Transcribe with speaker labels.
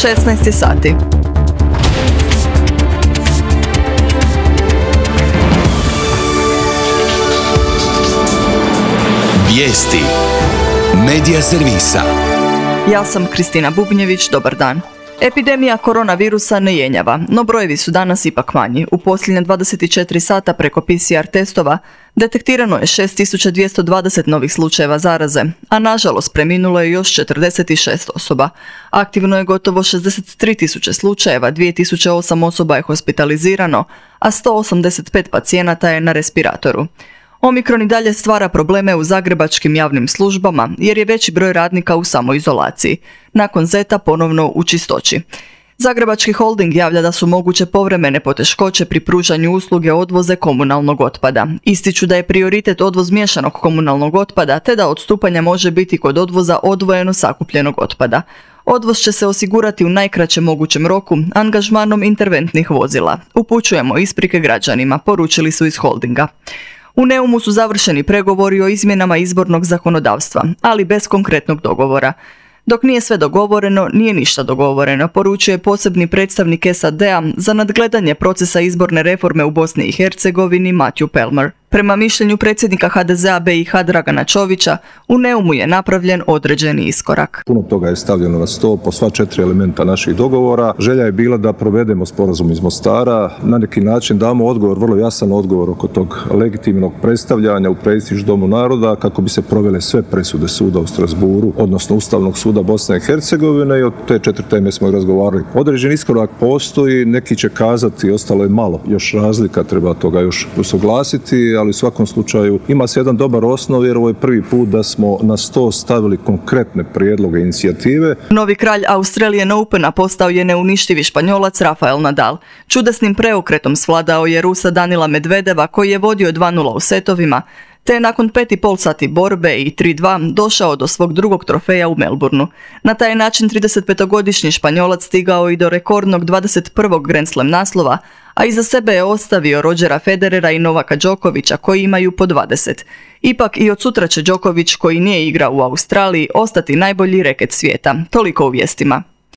Speaker 1: 16 sati.
Speaker 2: Vijesti Medija servisa.
Speaker 1: Ja sam Kristina Bubnjević, dobar dan. Epidemija koronavirusa ne jenjava, no brojevi su danas ipak manji. U posljednje 24 sata preko PCR testova detektirano je 6220 novih slučajeva zaraze, a nažalost preminulo je još 46 osoba. Aktivno je gotovo 63.000 slučajeva, 2008 osoba je hospitalizirano, a 185 pacijenata je na respiratoru. Omikron i dalje stvara probleme u zagrebačkim javnim službama jer je veći broj radnika u samoizolaciji. Nakon Zeta ponovno u čistoći. Zagrebački holding javlja da su moguće povremene poteškoće pri pružanju usluge odvoze komunalnog otpada. Ističu da je prioritet odvoz miješanog komunalnog otpada te da odstupanja može biti kod odvoza odvojeno sakupljenog otpada. Odvoz će se osigurati u najkraćem mogućem roku angažmanom interventnih vozila. Upućujemo isprike građanima, poručili su iz holdinga. U Neumu su završeni pregovori o izmjenama izbornog zakonodavstva, ali bez konkretnog dogovora. Dok nije sve dogovoreno, nije ništa dogovoreno, poručuje posebni predstavnik SAD-a za nadgledanje procesa izborne reforme u Bosni i Hercegovini Matthew Palmer. Prema mišljenju predsjednika HDZ-a BiH Dragana Čovića, u Neumu je napravljen određeni iskorak.
Speaker 3: Puno toga je stavljeno na stol po sva 4 elementa naših dogovora. Želja je bila da provedemo sporazum iz Mostara, na neki način damo odgovor, vrlo jasan odgovor oko tog legitimnog predstavljanja u prestiž Domu naroda kako bi se provele sve presude suda u Strasburu, odnosno Ustavnog suda Bosne i Hercegovine, i od te 4 teme smo razgovarali. Određeni iskorak postoji, neki će kazati ostalo je malo, još razlika, treba toga još usuglasiti, ali u svakom slučaju ima se jedan dobar osnov jer ovo je prvi put da smo na sto stavili konkretne prijedloge inicijative.
Speaker 1: Novi kralj Australian Opena postao je neuništivi Španjolac Rafael Nadal. Čudesnim preokretom svladao je Rusa Danila Medvedeva koji je vodio 2:0 u setovima, te je nakon 5,5 sati borbe i 3:2 došao do svog drugog trofeja u Melbourneu. Na taj način 35-godišnji Španjolac stigao i do rekordnog 21. Grand Slam naslova, a iza sebe je ostavio Rodgera Federera i Novaka Đokovića koji imaju po 20. Ipak i od sutra će Đoković, koji nije igrao u Australiji, ostati najbolji reket svijeta. Toliko u vijestima.